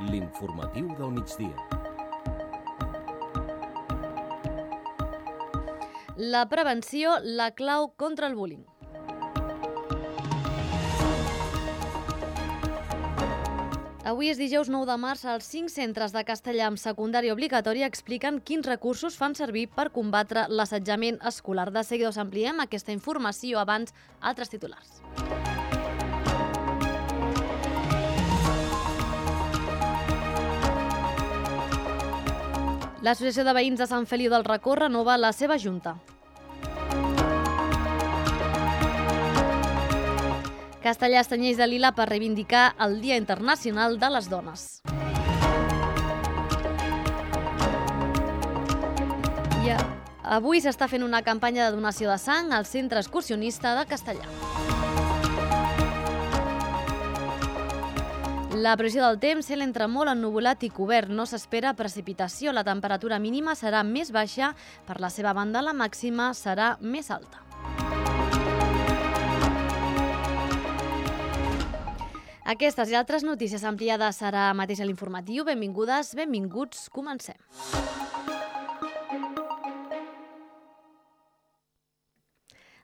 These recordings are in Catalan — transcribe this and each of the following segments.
L'informatiu del migdia. La prevenció, la clau contra el bullying. Avui és dijous 9 de març. Els 5 centres de castellà amb secundària obligatòria expliquen quins recursos fan servir per combatre l'assetjament escolar. De seguida us ampliem aquesta informació, abans altres titulars. L'Associació de Veïns de Sant Feliu del Racó renova la seva junta. Castellà es tenyeix de lila per reivindicar el Dia Internacional de les Dones. I avui s'està fent una campanya de donació de sang al Centre Excursionista de Castellà. La previsió del temps, cel entre molt ennuvolat i cobert. No s'espera precipitació. La temperatura mínima serà més baixa. Per la seva banda, la màxima serà més alta. Aquestes i altres notícies ampliades serà mateix a l'informatiu. Benvingudes, benvinguts, comencem.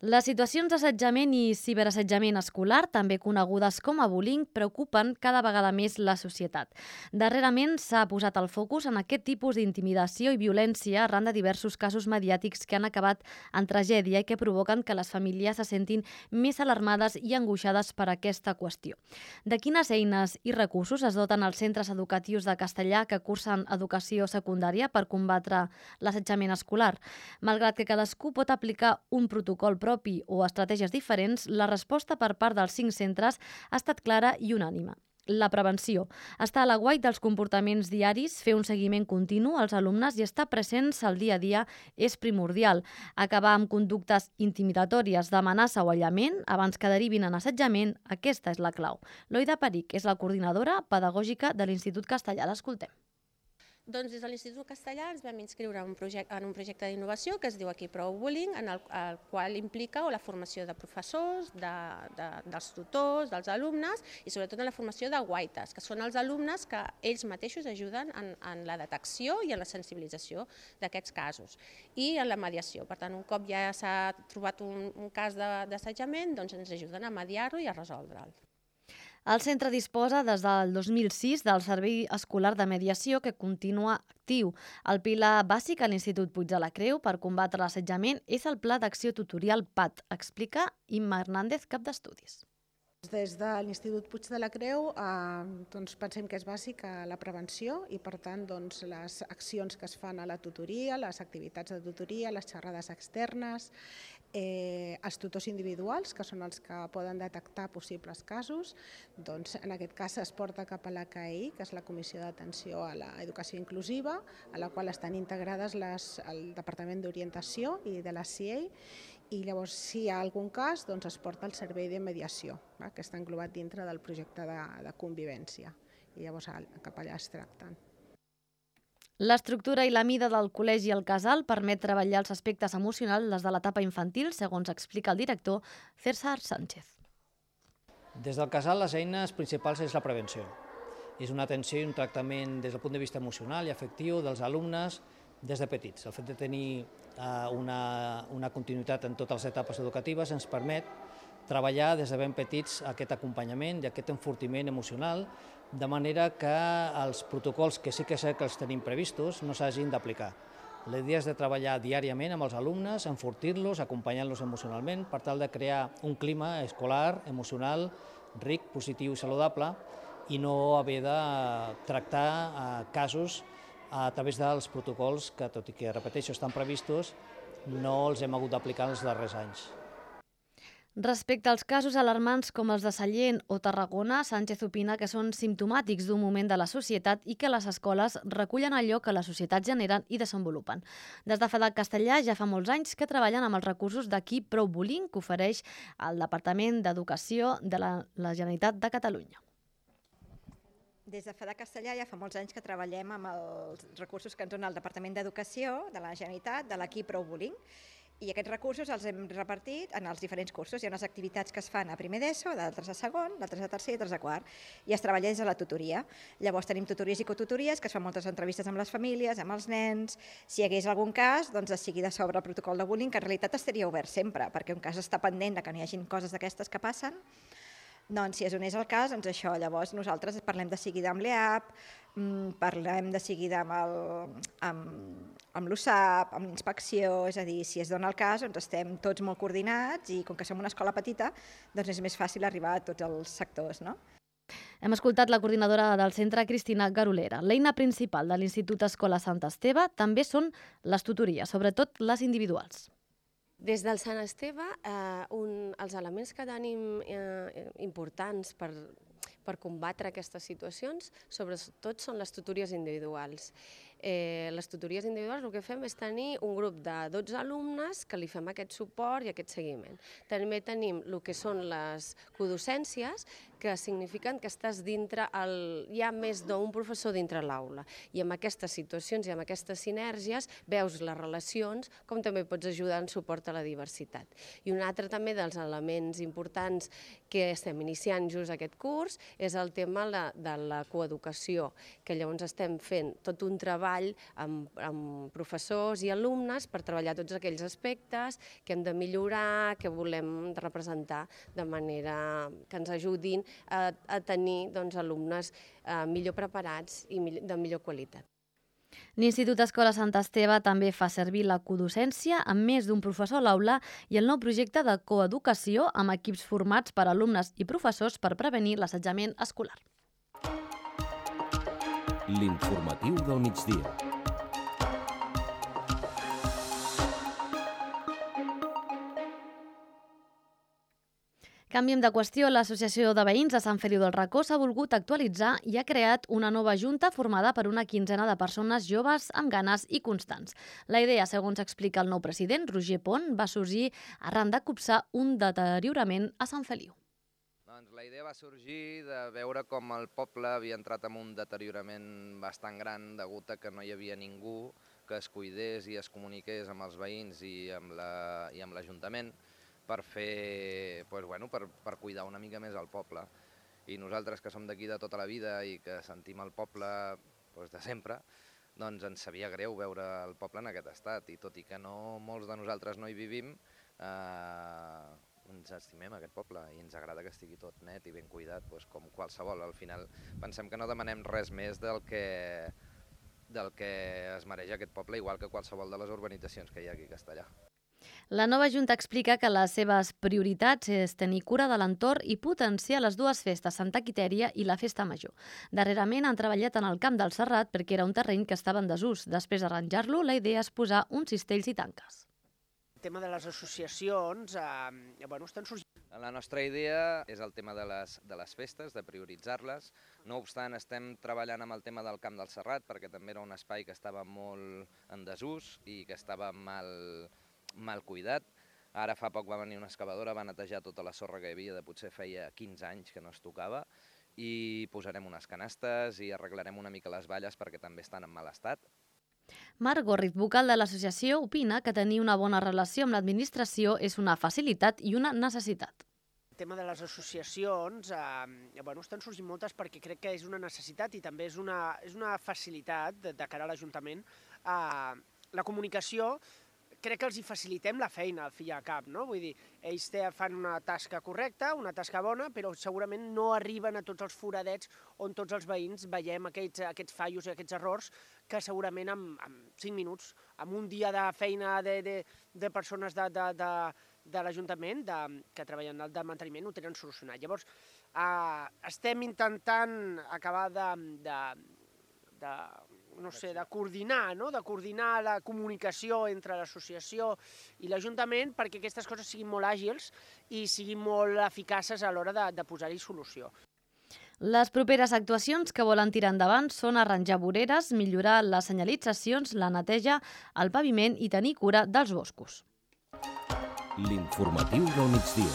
Les situacions d'assetjament i ciberassetjament escolar, també conegudes com a bullying, preocupen cada vegada més la societat. Darrerament s'ha posat el focus en aquest tipus d'intimidació i violència arran de diversos casos mediàtics que han acabat en tragèdia i que provoquen que les famílies se sentin més alarmades i angoixades per aquesta qüestió. De quines eines i recursos es doten els centres educatius de castellà que cursen educació secundària per combatre l'assetjament escolar? Malgrat que cadascú pot aplicar un protocol propi o estratègies diferents, la resposta per part dels 5 centres ha estat clara i unànime. La prevenció. Estar a l'aguait dels comportaments diaris, fer un seguiment continu als alumnes i estar presents al dia a dia és primordial. Acabar amb conductes intimidatòries d'amenaça o aïllament abans que derivin en assetjament, aquesta és la clau. Loida Peric és la coordinadora pedagògica de l'Institut Castellà. L'escoltem. Doncs des de l'Institut Castellà ens vam inscriure en un projecte d'innovació que es diu Aquí Prou Bullying, en el qual implica la formació de professors, dels tutors, dels alumnes i sobretot en la formació de guaites, que són els alumnes que ells mateixos ajuden en la detecció i en la sensibilització d'aquests casos i en la mediació. Per tant, un cop ja s'ha trobat un cas d'assetjament, doncs ens ajuden a mediar-lo i a resoldre'l. El centre disposa des del 2006 del Servei Escolar de Mediació que continua actiu. El pilar bàsic a l'Institut Puig de la Creu per combatre l'assetjament és el Pla d'Acció Tutorial PAT, explica Imma Hernández, cap d'estudis. Des de l'Institut Puig de la Creu pensem que és bàsica la prevenció i per tant les accions que es fan a la tutoria, les activitats de tutoria, les xerrades externes, els tutors individuals, que són els que poden detectar possibles casos, en aquest cas es porta cap a l'ACAI, que és la Comissió d'Atenció a l'Educació Inclusiva, a la qual estan integrades el Departament d'Orientació i de la CIEI, i llavors si hi ha algun cas es porta al servei de mediació, que està englobat dintre del projecte de convivència, i llavors cap allà es tracten. L'estructura i la mida del col·legi El Casal permet treballar els aspectes emocionals des de l'etapa infantil, segons explica el director César Sánchez. Des del Casal les eines principals és la prevenció. És una atenció i un tractament des del punt de vista emocional i afectiu dels alumnes des de petits. El fet de tenir una continuïtat en totes les etapes educatives ens permet treballar des de ben petits aquest acompanyament i aquest enfortiment emocional, de manera que els protocols que sí que sé que els tenim previstos no s'hagin d'aplicar. La idea és de treballar diàriament amb els alumnes, enfortir-los, acompanyar-los emocionalment, per tal de crear un clima escolar, emocional, ric, positiu i saludable, i no haver de tractar casos a través dels protocols que, tot i que, repeteixo, estan previstos, no els hem hagut d'aplicar els darrers anys. Respecte als casos alarmants com els de Sallent o Tarragona, Sánchez opina que són simptomàtics d'un moment de la societat i que les escoles recullen allò que la societat generen i desenvolupen. Des de FEDAC Castellà ja fa molts anys que treballen amb els recursos d'Aquí Prou Bullying que ofereix el Departament d'Educació de la Generalitat de Catalunya. Des de FEDAC Castellà ja fa molts anys que treballem amb els recursos que ens dona el Departament d'Educació de la Generalitat, de l'Aquí Prou Bullying. I aquests recursos els hem repartit en els diferents cursos. Hi ha unes activitats que es fan a primer d'ESO, d'altres a segon, d'altres a tercer i altres a quart. I es treballa des de la tutoria. Llavors tenim tutories i cotutories, que es fan moltes entrevistes amb les famílies, amb els nens. Si hi hagués algun cas, doncs es seguida sobre el protocol de bullying, que en realitat estaria obert sempre, perquè un cas està pendent de que no hi hagin coses d'aquestes que passen. Doncs si es donés el cas, doncs això, llavors nosaltres parlem de seguida amb l'EAP, parlem de seguida amb l'USAP, amb l'inspecció, és a dir, si es dona el cas, doncs estem tots molt coordinats i com que som una escola petita, doncs és més fàcil arribar a tots els sectors, no? Hem escoltat la coordinadora del centre, Cristina Garolera. L'eina principal de l'Institut Escola Sant Esteve també són les tutories, sobretot les individuals. Des del Sant Esteve, els elements que tenim importants per combatre aquestes situacions, sobretot són les tutories individuals. Les tutories individuals el que fem és tenir un grup de 12 alumnes que li fem aquest suport i aquest seguiment. També tenim el que són les codocències, que signifiquen que estàs dintre, hi ha més d'un professor dintre l'aula. I amb aquestes situacions i amb aquestes sinergies veus les relacions, com també pots ajudar en suport a la diversitat. I un altre també dels elements importants que estem iniciant just aquest curs és el tema de la coeducació, que llavors estem fent tot un treball amb professors i alumnes per treballar tots aquells aspectes que hem de millorar, que volem representar de manera que ens ajudin a tenir alumnes millor preparats i de millor qualitat. L'Institut Escola Sant Esteve també fa servir la codocència amb més d'un professor a l'aula i el nou projecte de coeducació amb equips formats per alumnes i professors per prevenir l'assetjament escolar. L'informatiu del migdia. Canviem de qüestió. L'Associació de Veïns de Sant Feliu del Racó s'ha volgut actualitzar i ha creat una nova junta formada per una quinzena de persones joves amb ganes i constants. La idea, segons explica el nou president, Roger Pont, va sorgir arran de copsar un deteriorament a Sant Feliu. La idea va sorgir de veure com el poble havia entrat en un deteriorament bastant gran degut a que no hi havia ningú que es cuidés i es comuniqués amb els veïns i amb l'Ajuntament per cuidar una mica més el poble. I nosaltres, que som d'aquí de tota la vida i que sentim el poble de sempre, doncs ens sabia greu veure el poble en aquest estat. I tot i que molts de nosaltres no hi vivim, ens estimem aquest poble i ens agrada que estigui tot net i ben cuidat, com qualsevol. Al final pensem que no demanem res més del que es mereix aquest poble, igual que qualsevol de les urbanitzacions que hi ha aquí a Castellar. La nova Junta explica que les seves prioritats és tenir cura de l'entorn i potenciar les dues festes, Santa Quitèria i la Festa Major. Darrerament han treballat en el Camp del Serrat perquè era un terreny que estava en desús. Després d'arranjar-lo, la idea és posar uns cistells i tanques. El tema de les associacions estan sorgint. La nostra idea és el tema de les festes, de prioritzar-les. No obstant, estem treballant amb el tema del Camp del Serrat perquè també era un espai que estava molt en desús i que estava mal cuidat. Ara fa poc va venir una excavadora, va netejar tota la sorra que hi havia, potser feia 15 anys que no es tocava, i posarem unes canastes i arreglarem una mica les valles perquè també estan en mal estat. Marc Gorrit, vocal de l'associació, opina que tenir una bona relació amb l'administració és una facilitat i una necessitat. El tema de les associacions, estan sorgint moltes perquè crec que és una necessitat i també és una facilitat de cara a l'Ajuntament. La comunicació, crec que els hi facilitem la feina al fi i al cap, no? Vull dir, ells fan una tasca correcta, una tasca bona, però segurament no arriben a tots els foradets on tots els veïns veiem aquests fallos i aquests errors que segurament en 5 minuts, en un dia de feina de persones de l'Ajuntament que treballen de manteniment ho tenen solucionat. Llavors, estem intentant acabar de coordinar la comunicació entre l'associació i l'Ajuntament perquè aquestes coses siguin molt àgils i siguin molt eficaces a l'hora de posar-hi solució. Les properes actuacions que volen tirar endavant són arranjar voreres, millorar les senyalitzacions, la neteja, el paviment i tenir cura dels boscos. L'informatiu del migdia.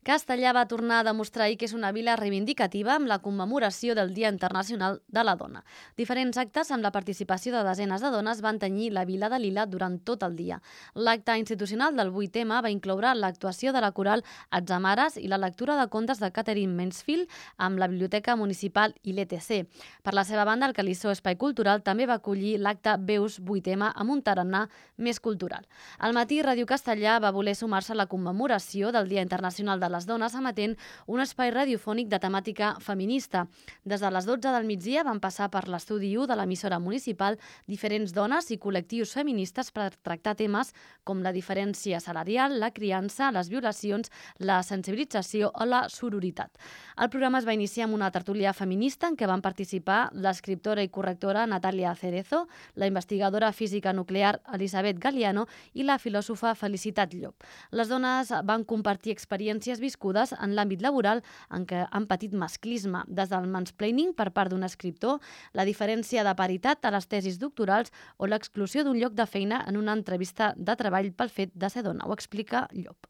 Castellà va tornar a demostrar ahir que és una vila reivindicativa amb la commemoració del Dia Internacional de la Dona. Diferents actes amb la participació de desenes de dones van tenyir la vila de Lila durant tot el dia. L'acte institucional del 8M va incloure l'actuació de la coral Atzamares i la lectura de contes de Catherine Mansfield amb la Biblioteca Municipal i l'ETC. Per la seva banda, el Calissó Espai Cultural també va acollir l'acte Veus 8M amb un tarannà més cultural. Al matí, Ràdio Castellà va voler sumar-se a la commemoració del Dia Internacional de les Dones emetent un espai radiofònic de temàtica feminista. Des de les 12 del migdia van passar per l'estudi 1 de l'emissora municipal diferents dones i col·lectius feministes per tractar temes com la diferència salarial, la criança, les violacions, la sensibilització o la sororitat. El programa es va iniciar amb una tertúlia feminista en què van participar l'escriptora i correctora Natàlia Cerezo, la investigadora física nuclear Elisabet Galiano i la filòsofa Felicitat Llop. Les dones van compartir experiències viscudes en l'àmbit laboral en què han patit masclisme, des del mansplaining per part d'un escriptor, la diferència de paritat a les tesis doctorals o l'exclusió d'un lloc de feina en una entrevista de treball pel fet de ser dona. Ho explica Llop.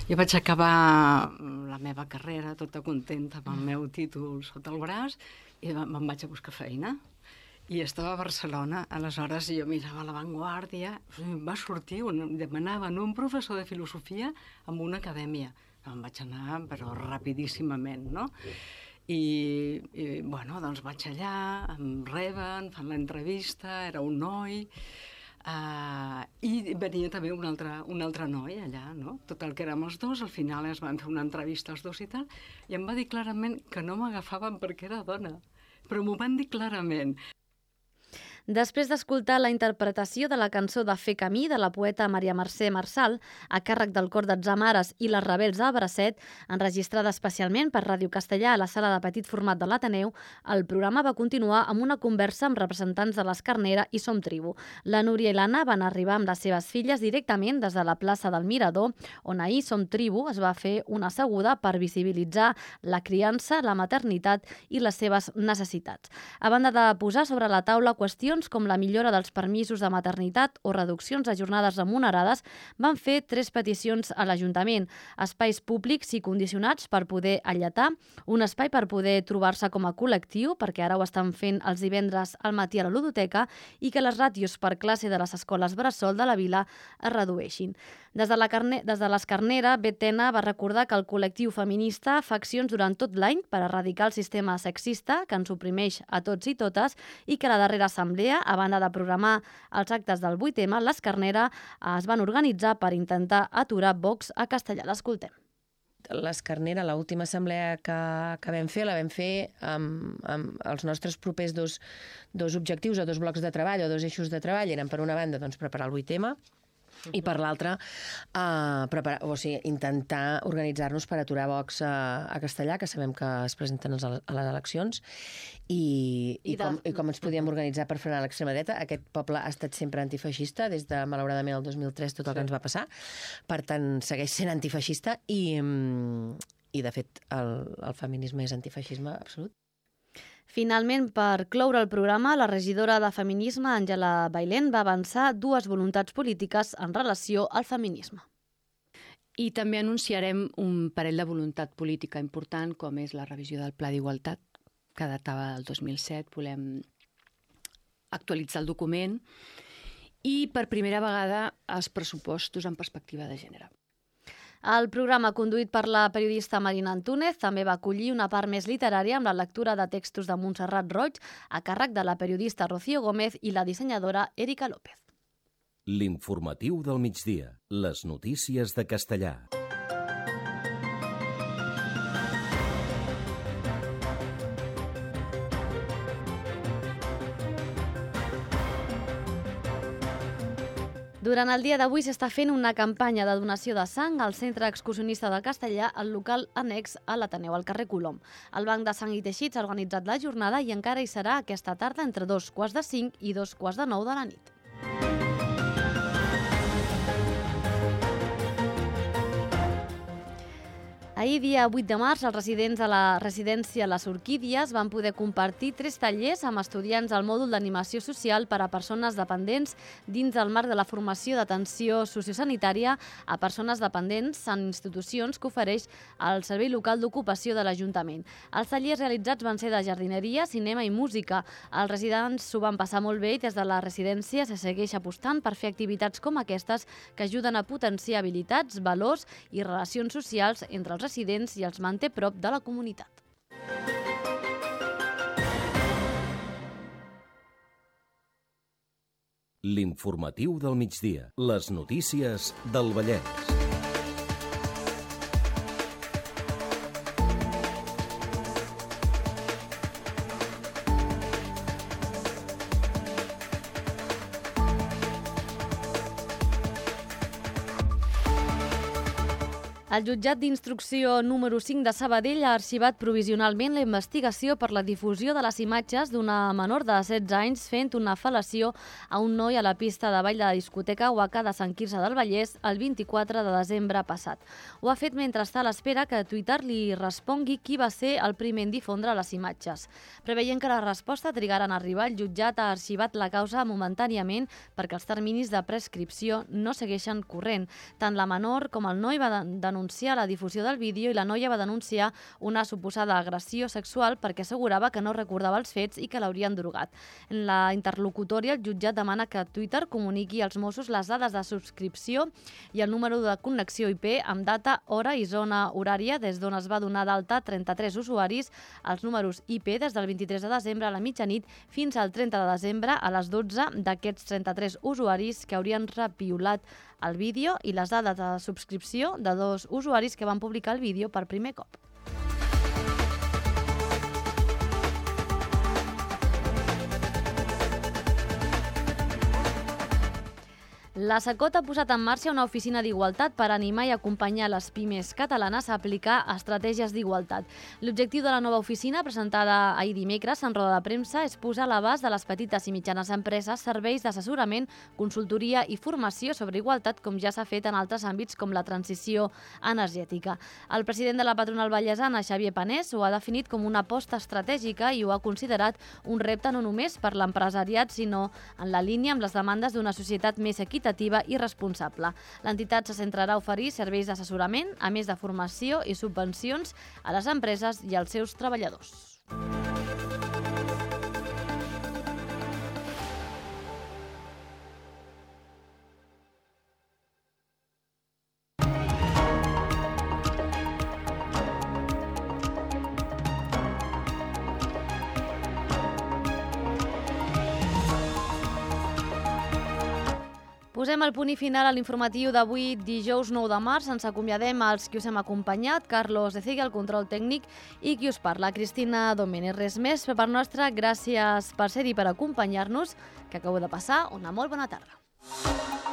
Jo vaig acabar la meva carrera tota contenta amb el meu títol sota el braç i me'n vaig a buscar feina. I estava a Barcelona, aleshores jo mirava La Vanguardia, va sortir, demanaven un professor de filosofia en una acadèmia. Em vaig anar, però rapidíssimament, no? I bueno, doncs vaig allà, em reben, fan l'entrevista, era un noi, i venia també un altre noi allà, no? Tot el que érem els dos, al final es van fer una entrevista els dos i tal, i em va dir clarament que no m'agafaven perquè era dona, però m'ho van dir clarament. Després d'escoltar la interpretació de la cançó de Fer camí de la poeta Maria Mercè Marçal, a càrrec del cor d'Atzamares i les Rebels del Bracet, enregistrada especialment per Ràdio Castellà a la sala de petit format de l'Ateneu, el programa va continuar amb una conversa amb representants de l'Escarnera i Som Tribu. La Núria i l'Anna van arribar amb les seves filles directament des de la plaça del Mirador, on ahir Som Tribu es va fer una asseguda per visibilitzar la criança, la maternitat i les seves necessitats. A banda de posar sobre la taula qüestions com la millora dels permisos de maternitat o reduccions de jornades remunerades, van fer 3 peticions a l'Ajuntament. Espais públics i condicionats per poder alletar, un espai per poder trobar-se com a col·lectiu, perquè ara ho estan fent els divendres al matí a la ludoteca, i que les ràtios per classe de les escoles bressol de la vila es redueixin. Des de l'Escarnera, Betena va recordar que el col·lectiu feminista fa accions durant tot l'any per erradicar el sistema sexista que ens oprimeix a tots i totes i que la darrera assemblea, a banda de programar els actes del 8M, l'Escarnera es van organitzar per intentar aturar Vox a Castellà. L'escoltem. L'Escarnera, l'última assemblea que vam fer, la vam fer amb els nostres propers dos objectius o 2 blocs de treball o 2 eixos de treball. Eren, per una banda, preparar el 8M, i per l'altra, intentar organitzar-nos per aturar Vox a Castellà, que sabem que es presenten a les eleccions, i com ens podíem organitzar per frenar l'extrema dreta. Aquest poble ha estat sempre antifeixista, des de, malauradament, el 2003, tot el que ens va passar. Per tant, segueix sent antifeixista i de fet, el feminisme és antifeixisme absolut. Finalment, per cloure el programa, la regidora de Feminisme, Àngela Bailén, va avançar 2 voluntats polítiques en relació al feminisme. I també anunciarem un parell de voluntat política important, com és la revisió del Pla d'Igualtat, que datava del 2007. Volem actualitzar el document i, per primera vegada, els pressupostos en perspectiva de gènere. El programa, conduït per la periodista Marina Antúnez, també va acollir una part més literària amb la lectura de textos de Montserrat Roig, a càrrec de la periodista Rocío Gómez i la dissenyadora Erika López. L'informatiu del migdia. Les notícies de Castellà. Durant el dia d'avui s'està fent una campanya de donació de sang al Centre Excursionista de Castellà, al local annex a l'Ateneu, al carrer Colom. El Banc de Sang i Teixits ha organitzat la jornada i encara hi serà aquesta tarda entre 2:45 i 2:45 de la nit. Ahir, dia 8 de març, els residents de la residència Les Orquídies van poder compartir 3 tallers amb estudiants al mòdul d'animació social per a persones dependents dins del marc de la formació d'atenció sociosanitària a persones dependents en institucions que ofereix el Servei Local d'Ocupació de l'Ajuntament. Els tallers realitzats van ser de jardineria, cinema i música. Els residents s'ho van passar molt bé i des de la residència se segueix apostant per fer activitats com aquestes que ajuden a potenciar habilitats, valors i relacions socials entre els residents i els manté prop de la comunitat. L'informatiu del migdia. Les notícies del Vallès. El jutjat d'instrucció número 5 de Sabadell ha arxivat provisionalment la investigació per la difusió de les imatges d'una menor de 16 anys fent una fel·lació a un noi a la pista de ball de la discoteca Waka de Sant Quirze del Vallès el 24 de desembre passat. Ho ha fet mentre està a l'espera que Twitter li respongui qui va ser el primer en difondre les imatges. Preveient que la resposta trigarà en arribar, el jutjat ha arxivat la causa momentàniament perquè els terminis de prescripció no segueixen corrent. Tant la menor com el noi va denunciar la difusió del vídeo i la noia va denunciar una suposada agressió sexual perquè assegurava que no recordava els fets i que l'haurien drogat. En la interlocutòria, el jutjat demana que Twitter comuniqui als Mossos les dades de subscripció i el número de connexió IP amb data, hora i zona horària des d'on es va donar d'alta 33 usuaris, els números IP des del 23 de desembre a la mitjanit fins al 30 de desembre a les 12 d'aquests 33 usuaris que haurien repiolat el vídeo i les dades de subscripció de 2 usuaris que van publicar el vídeo per primer cop. La SACOT ha posat en marxa una oficina d'igualtat per animar i acompanyar les pimes catalanes a aplicar estratègies d'igualtat. L'objectiu de la nova oficina, presentada ahir dimecres en roda de premsa, és posar a l'abast de les petites i mitjanes empreses serveis d'assessorament, consultoria i formació sobre igualtat, com ja s'ha fet en altres àmbits com la transició energètica. El president de la patronal vallesana, Xavier Panés, ho ha definit com una aposta estratègica i ho ha considerat un repte no només per l'empresariat, sinó en la línia amb les demandes d'una societat més equitativa i responsable. L'entitat se centrarà a oferir serveis d'assessorament, a més de formació i subvencions a les empreses i als seus treballadors. Posem el punt i final a l'informatiu d'avui, dijous 9 de març. Ens acomiadem als qui us hem acompanyat, Carlos Ecegui, el control tècnic, i qui us parla, Cristina Domènech. Res més per part nostra, gràcies per ser-hi, per acompanyar-nos, que acabeu de passar una molt bona tarda.